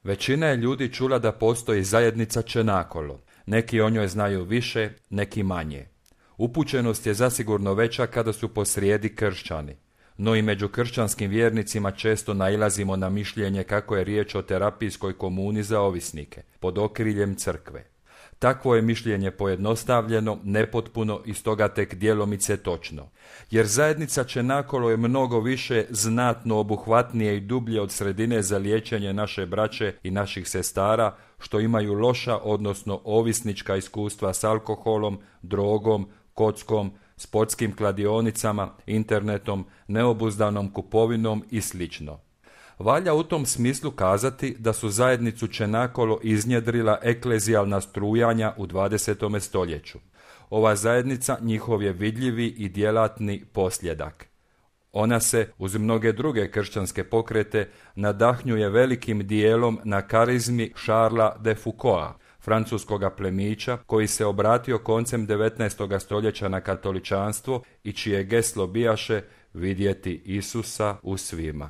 Većina je ljudi čula da postoji zajednica Čenakolo. Neki o njoj znaju više, neki manje. Upućenost je zasigurno veća kada su posrijedi kršćani. No i među kršćanskim vjernicima često nailazimo na mišljenje kako je riječ o terapijskoj komuni za ovisnike, pod okriljem crkve. Takvo je mišljenje pojednostavljeno, nepotpuno i stoga tek djelomice točno. Jer zajednica Čenakolo je mnogo više, znatno obuhvatnije i dublje od sredine za liječenje naše braće i naših sestara, što imaju loša, odnosno ovisnička iskustva s alkoholom, drogom, kockom, sportskim kladionicama, internetom, neobuzdanom kupovinom i sl. Valja u tom smislu kazati da su zajednicu Čenakolo iznjedrila eklezijalna strujanja u 20. stoljeću. Ova zajednica njihov je vidljivi i djelatni posljedak. Ona se, uz mnoge druge kršćanske pokrete, nadahnjuje velikim dijelom na karizmi Charlesa de Foucaulta, francuskoga plemića koji se obratio koncem 19. stoljeća na katoličanstvo i čije geslo bijaše vidjeti Isusa u svima.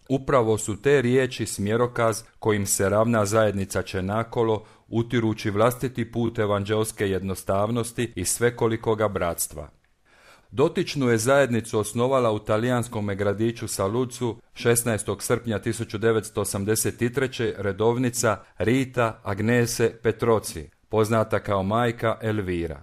Upravo su te riječi smjerokaz kojim se ravna zajednica Čenakolo, utirući vlastiti put evanđelske jednostavnosti i svekolikoga bratstva. Dotičnu je zajednicu osnovala u talijanskom gradiću Saluzzu 16. srpnja 1983. redovnica Rita Agnese Petroci, poznata kao majka Elvira.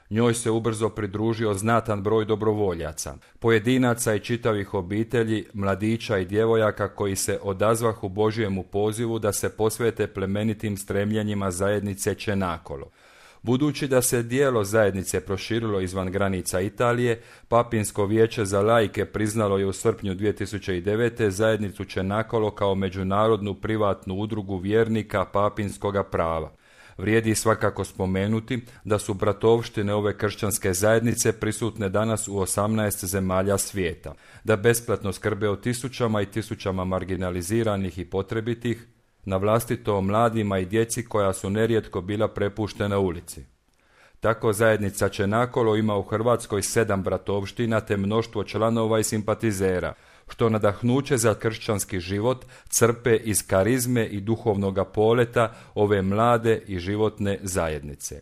Njoj se ubrzo pridružio znatan broj dobrovoljaca, pojedinaca i čitavih obitelji, mladića i djevojaka koji se odazvahu Božjemu pozivu da se posvete plemenitim stremljenjima zajednice Čenakolo. Budući da se djelo zajednice proširilo izvan granica Italije, Papinsko vijeće za laike priznalo je u srpnju 2009. zajednicu Čenakolo kao međunarodnu privatnu udrugu vjernika papinskoga prava. Vrijedi svakako spomenuti da su bratovštine ove kršćanske zajednice prisutne danas u 18 zemalja svijeta, da besplatno skrbe o tisućama i tisućama marginaliziranih i potrebitih, na vlastito o mladima i djeci koja su nerijetko bila prepuštena ulici. Tako zajednica Čenakolo ima u Hrvatskoj 7 bratovština te mnoštvo članova i simpatizera, što nadahnuće za kršćanski život crpe iz karizme i duhovnoga poleta ove mlade i životne zajednice.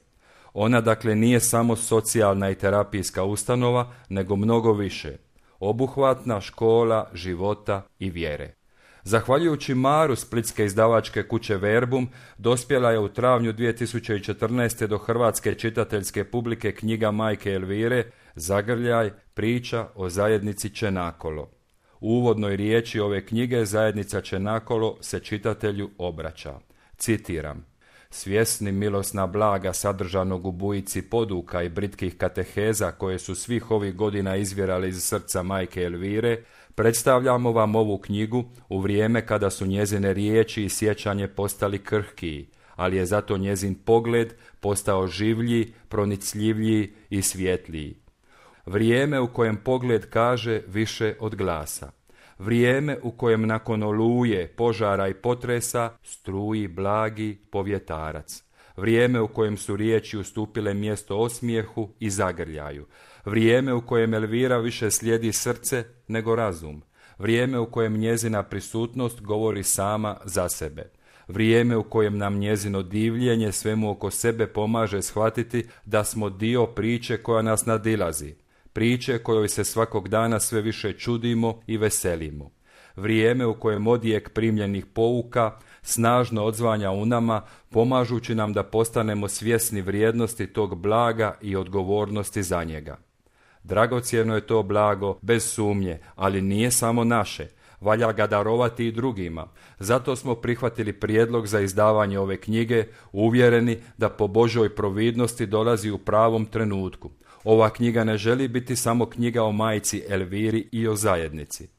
Ona dakle nije samo socijalna i terapijska ustanova, nego mnogo više, obuhvatna škola života i vjere. Zahvaljujući maru splitske izdavačke kuće Verbum, dospjela je u travnju 2014. do hrvatske čitateljske publike knjiga majke Elvire Zagrljaj, priča o zajednici Čenakolo. U uvodnoj riječi ove knjige zajednica Čenakolo se čitatelju obraća. Citiram: svjesni milosna blaga sadržanog u bujici poduka i britkih kateheza koje su svih ovih godina izvjerali iz srca majke Elvire, predstavljamo vam ovu knjigu u vrijeme kada su njezine riječi i sjećanje postali krhkiji, ali je zato njezin pogled postao življi, pronicljiviji i svjetliji. Vrijeme u kojem pogled kaže više od glasa. Vrijeme u kojem nakon oluje, požara i potresa struji blagi povjetarac. Vrijeme u kojem su riječi ustupile mjesto osmijehu i zagrljaju. Vrijeme u kojem Elvira više slijedi srce nego razum. Vrijeme u kojem njezina prisutnost govori sama za sebe. Vrijeme u kojem nam njezino divljenje svemu oko sebe pomaže shvatiti da smo dio priče koja nas nadilazi. Priče kojoj se svakog dana sve više čudimo i veselimo. Vrijeme u kojem odjek primljenih pouka snažno odzvanja u nama, pomažući nam da postanemo svjesni vrijednosti tog blaga i odgovornosti za njega. Dragocjeno je to blago, bez sumnje, ali nije samo naše. Valja ga darovati i drugima. Zato smo prihvatili prijedlog za izdavanje ove knjige, uvjereni da po Božoj providnosti dolazi u pravom trenutku. Ova knjiga ne želi biti samo knjiga o majci Elviri i o zajednici.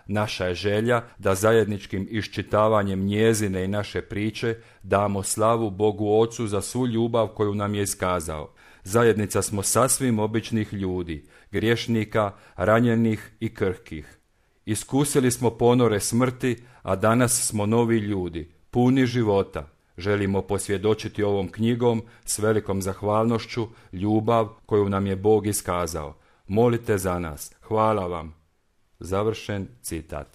Naša je želja da zajedničkim iščitavanjem njezine i naše priče damo slavu Bogu Ocu za svu ljubav koju nam je iskazao. Zajednica smo sasvim običnih ljudi, griješnika, ranjenih i krhkih. Iskusili smo ponore smrti, a danas smo novi ljudi, puni života. Želimo posvjedočiti ovom knjigom s velikom zahvalnošću ljubav koju nam je Bog iskazao. Molite za nas. Hvala vam. Završen citat.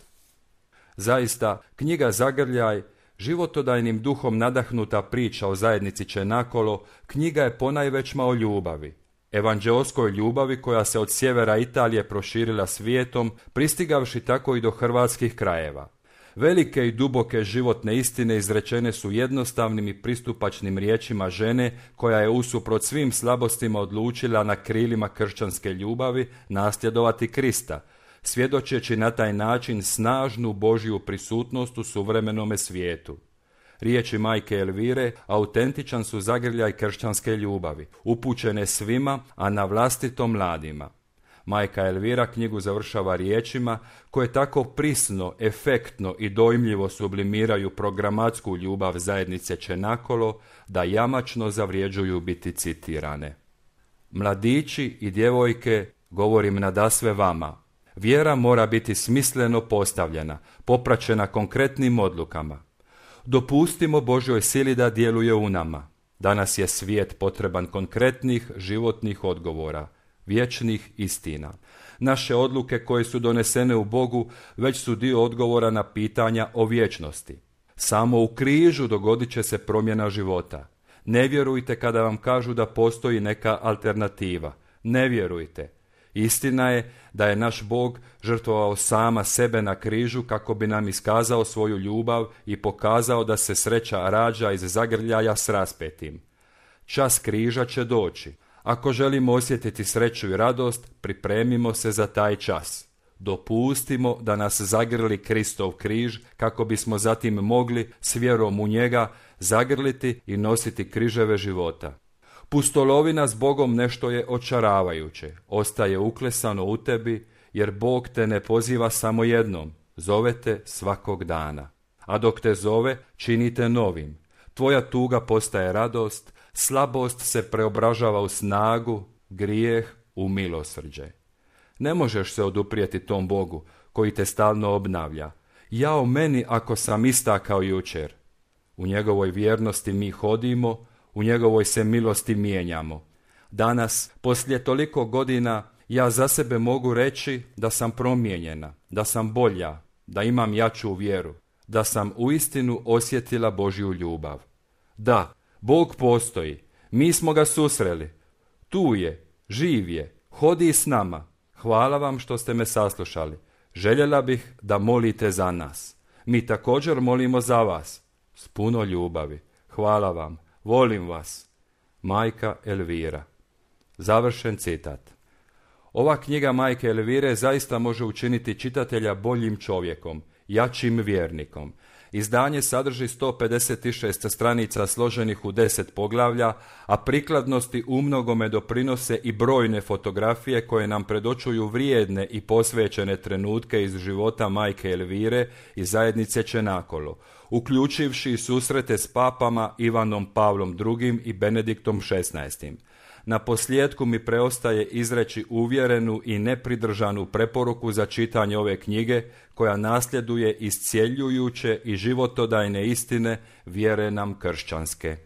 Zaista, knjiga Zagrljaj Životodajnim duhom nadahnuta priča o zajednici Čenakolo, knjiga je ponajvećma o ljubavi. Evanđeoskoj ljubavi koja se od sjevera Italije proširila svijetom, pristigavši tako i do hrvatskih krajeva. Velike i duboke životne istine izrečene su jednostavnim i pristupačnim riječima žene koja je usuprot svim slabostima odlučila na krilima kršćanske ljubavi nasljedovati Krista, svjedočeći na taj način snažnu Božju prisutnost u suvremenome svijetu. Riječi majke Elvire autentičan su zagrljaj kršćanske ljubavi, upućene svima, a na vlastito mladima. Majka Elvira knjigu završava riječima koje tako prisno, efektno i dojmljivo sublimiraju programatsku ljubav zajednice Čenakolo da jamačno zavrijeđuju biti citirane. Mladići i djevojke, govorim nadasve vama, vjera mora biti smisleno postavljena, popraćena konkretnim odlukama. Dopustimo Božjoj sili da djeluje u nama. Danas je svijet potreban konkretnih životnih odgovora, vječnih istina. Naše odluke koje su donesene u Bogu već su dio odgovora na pitanja o vječnosti. Samo u križu dogodit će se promjena života. Ne vjerujte kada vam kažu da postoji neka alternativa. Ne vjerujte. Istina je da je naš Bog žrtvovao sama sebe na križu kako bi nam iskazao svoju ljubav i pokazao da se sreća rađa iz zagrljaja s raspetim. Čas križa će doći. Ako želimo osjetiti sreću i radost, pripremimo se za taj čas. Dopustimo da nas zagrli Kristov križ kako bismo zatim mogli s vjerom u njega zagrliti i nositi križeve života. Pustolovina s Bogom nešto je očaravajuće, ostaje uklesano u tebi, jer Bog te ne poziva samo jednom, zove te svakog dana. A dok te zove, činite novim. Tvoja tuga postaje radost, slabost se preobražava u snagu, grijeh u milosrđe. Ne možeš se oduprijeti tom Bogu koji te stalno obnavlja. Jao meni ako sam ista kao jučer. U njegovoj vjernosti mi hodimo, u njegovoj se milosti mijenjamo. Danas, poslije toliko godina, ja za sebe mogu reći da sam promijenjena, da sam bolja, da imam jaču vjeru, da sam uistinu osjetila Božju ljubav. Da, Bog postoji, mi smo ga susreli. Tu je, živ je, hodi s nama. Hvala vam što ste me saslušali. Željela bih da molite za nas. Mi također molimo za vas. S puno ljubavi. Hvala vam. Volim vas. Majka Elvira. Završen citat. Ova knjiga majke Elvire zaista može učiniti čitatelja boljim čovjekom, jačim vjernikom. Izdanje sadrži 156 stranica složenih u 10 poglavlja, a prikladnosti umnogome doprinose i brojne fotografije koje nam predočuju vrijedne i posvećene trenutke iz života majke Elvire i zajednice Čenakolo, uključivši susrete s papama Ivanom Pavlom II i Benediktom XVI. Na posljedku mi preostaje izreći uvjerenu i nepridržanu preporuku za čitanje ove knjige koja nasljeduje iscjeljujuće i životodajne istine vjere nam kršćanske.